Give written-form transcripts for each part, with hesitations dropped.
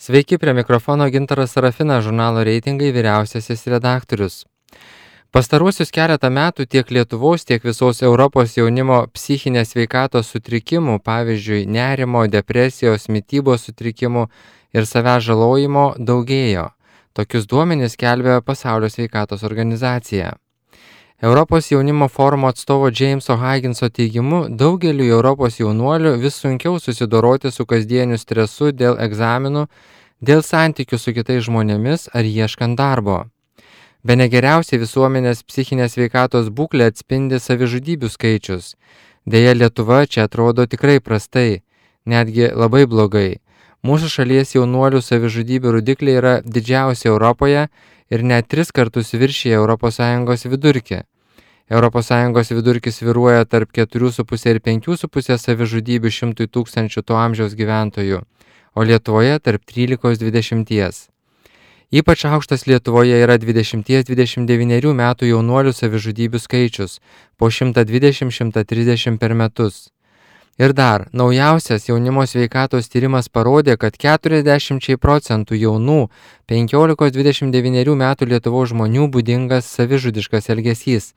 Sveiki, prie mikrofono Gintaras Sarafinas, žurnalo Reitingai vyriausiasis redaktorius. Pastaruosius keletą metų tiek Lietuvos, tiek visos Europos jaunimo psichinės sveikatos sutrikimų, pavyzdžiui, nerimo, depresijos, mitybos sutrikimų ir savęs žalojimo daugėjo. Tokius duomenis skelbia Pasaulio sveikatos organizacija. Europos jaunimo forumo atstovo Jameso Higginso teigimu, daugeliu Europos jaunuolių vis sunkiau susidoroti su kasdieniu stresu dėl egzaminų, dėl santykių su kitais žmonėmis ar ieškant darbo. Bene geriausiai visuomenės psichinės sveikatos būklę atspindi savižudybių skaičius. Deja, Lietuva čia atrodo tikrai prastai, netgi labai blogai. Mūsų šalies jaunuolių savižudybių rodikliai yra didžiausi Europoje ir net 3 kartus viršija ES vidurkį. ES vidurkis svyruoja tarp 4,5 ir 5,5 savižudybių 100 tūkstančių to amžiaus gyventojų, o Lietuvoje tarp 13–20. Ypač aukštas Lietuvoje yra 20–29 metų jaunuolių savižudybių skaičius, po 120–130 per metus. Ir dar, naujausias jaunimo sveikatos tyrimas parodė, kad 40% jaunų 15–29 metų Lietuvos žmonių būdingas savižudiškas elgesys.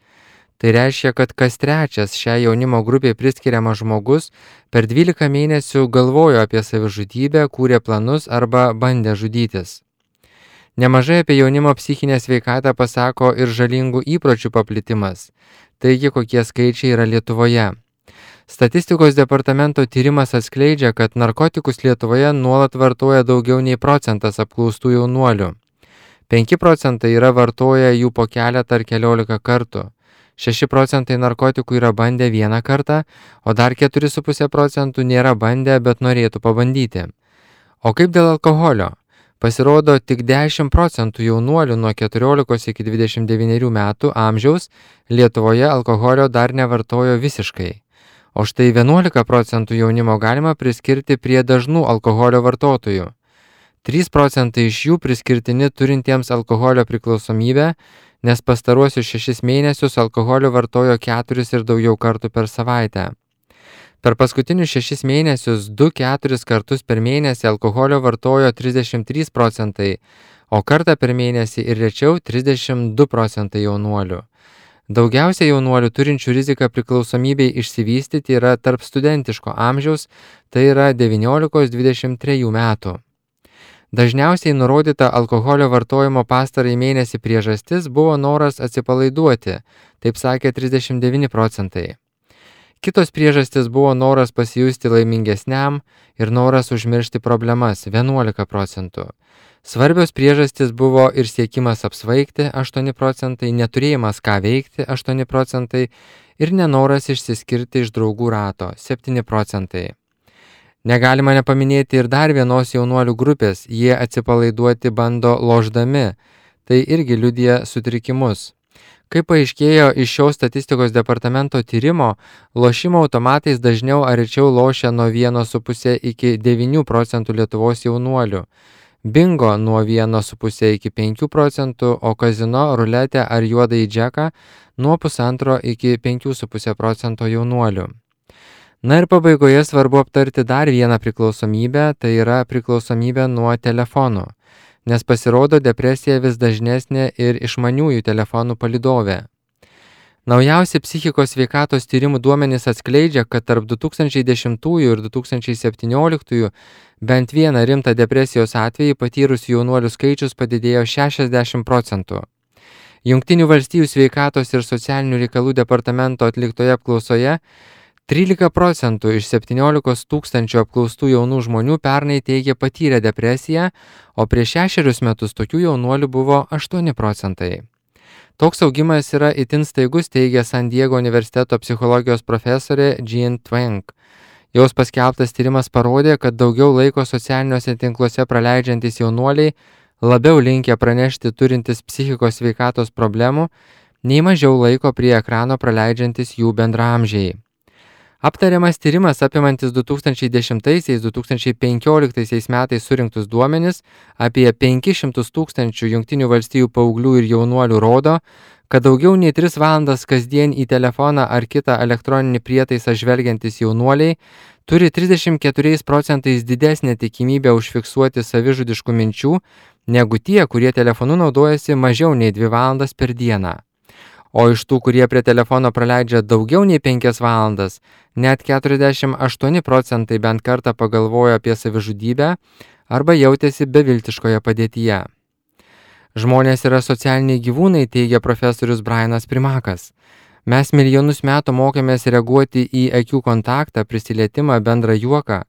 Tai reiškia, kad kas trečias šią jaunimo grupėje priskiriamas žmogus per 12 mėnesių galvojo apie savižudybę, kūrė planus arba bandė žudytis. Nemažai apie jaunimo psichinę sveikatą pasako ir žalingų įpročių paplitimas. Taigi, kokie skaičiai yra Lietuvoje. Statistikos departamento tyrimas atskleidžia, kad narkotikus Lietuvoje nuolat vartoja daugiau nei procentas apklaustų jaunuolių. 5% yra vartoję jų po keletą ar keliolika kartų. 6% narkotikų yra bandę vieną kartą, o dar 4,5% nėra bandę, bet norėtų pabandyti. O kaip dėl alkoholio? Pasirodo, tik 10% jaunuolių nuo 14 iki 29 metų amžiaus Lietuvoje alkoholio dar nevartojo visiškai. O štai 11% jaunimo galima priskirti prie dažnų alkoholio vartotojų. 3% iš jų priskirtini turintiems alkoholio priklausomybę, nes pastaruosius 6 mėnesius alkoholio vartojo 4 ir daugiau kartų per savaitę. Per paskutinius 6 mėnesius 2–4 kartus per mėnesį alkoholio vartojo 33%, o kartą per mėnesį ir rečiau 32% jaunuolių. Daugiausia jaunuolių turinčių riziką priklausomybei išsivystyti yra tarp studentiško amžiaus, tai yra 19–23 metų. Dažniausiai nurodyta alkoholio vartojimo pastarąjį mėnesį priežastis buvo noras atsipalaiduoti, taip sakė 39%. Kitos priežastis buvo noras pasijusti laimingesniam ir noras užmiršti problemas 11%. Svarbios priežastis buvo ir siekimas apsvaigti 8%, neturėjimas ką veikti 8% ir nenoras išsiskirti iš draugų rato 7%. Negalima nepaminėti ir dar vienos jaunuolių grupės, jie atsipalaiduoti bando lošdami, tai irgi liudija sutrikimus. Kaip paaiškėjo iš šio statistikos departamento tyrimo, lošimo automatais dažniau ar rečiau lošia nuo 1,5 iki 9% Lietuvos jaunuolių, bingo nuo 1,5 iki 5%, o kazino, ruletė ar juodąjį džeką nuo 1,5 iki 5,5% jaunuolių. Na ir pabaigoje svarbu aptarti dar vieną priklausomybę, tai yra priklausomybė nuo telefonų, nes pasirodo depresija vis dažnesnė ir išmaniųjų telefonų palydovė. Naujausi psichikos sveikatos tyrimų duomenys atskleidžia, kad tarp 2010 ir 2017 bent vieną rimtą depresijos atvejį patyrusių jaunuolių skaičius padidėjo 60%. Jungtinių valstijų sveikatos ir socialinių reikalų departamento atliktoje apklausoje 13% iš 17 tūkstančių apklaustų jaunų žmonių pernai teigė patyrę depresiją, o prieš 6 metus tokių jaunuolių buvo 8%. Toks augimas yra itin staigus, teigia San Diego universiteto psichologijos profesorė Jean Twenge. Jos paskelbtas tyrimas parodė, kad daugiau laiko socialiniuose tinkluose praleidžiantys jaunuoliai labiau linkę pranešti turintis psichikos sveikatos problemų, nei mažiau laiko prie ekrano praleidžiantys jų bendraamžiai. Aptariamas tyrimas apimantis 2010–2015 metais surinktus duomenis apie 500 tūkstančių Jungtinių valstijų paauglių ir jaunuolių rodo, kad daugiau nei 3 valandas kasdien į telefoną ar kitą elektroninį prietaisą žvelgiantys jaunuoliai turi 34% didesnę tikimybę užfiksuoti savižudiškų minčių negu tie, kurie telefonu naudojasi mažiau nei 2 valandas per dieną. O iš tų, kurie prie telefono praleidžia daugiau nei 5 valandas, net 48% bent kartą pagalvojo apie savižudybę arba jautėsi beviltiškoje padėtyje. Žmonės yra socialiniai gyvūnai, teigia profesorius Brianas Primakas. Mes milijonus metų mokėmės reaguoti į akių kontaktą, prisilietimą, bendrą juoką.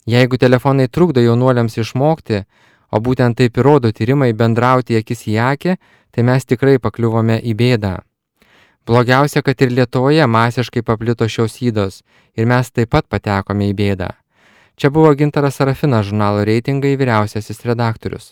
Jeigu telefonai trukdo jaunuoliams išmokti, o būtent taip įrodo tyrimai bendrauti akis į akį, tai mes tikrai pakliuvome į bėdą. Blogiausia, kad ir Lietuvoje masiškai paplito šios ydos ir mes taip pat patekome į bėdą. Čia buvo Gintaras Sarafinas, žurnalo Reitingai vyriausiasis redaktorius.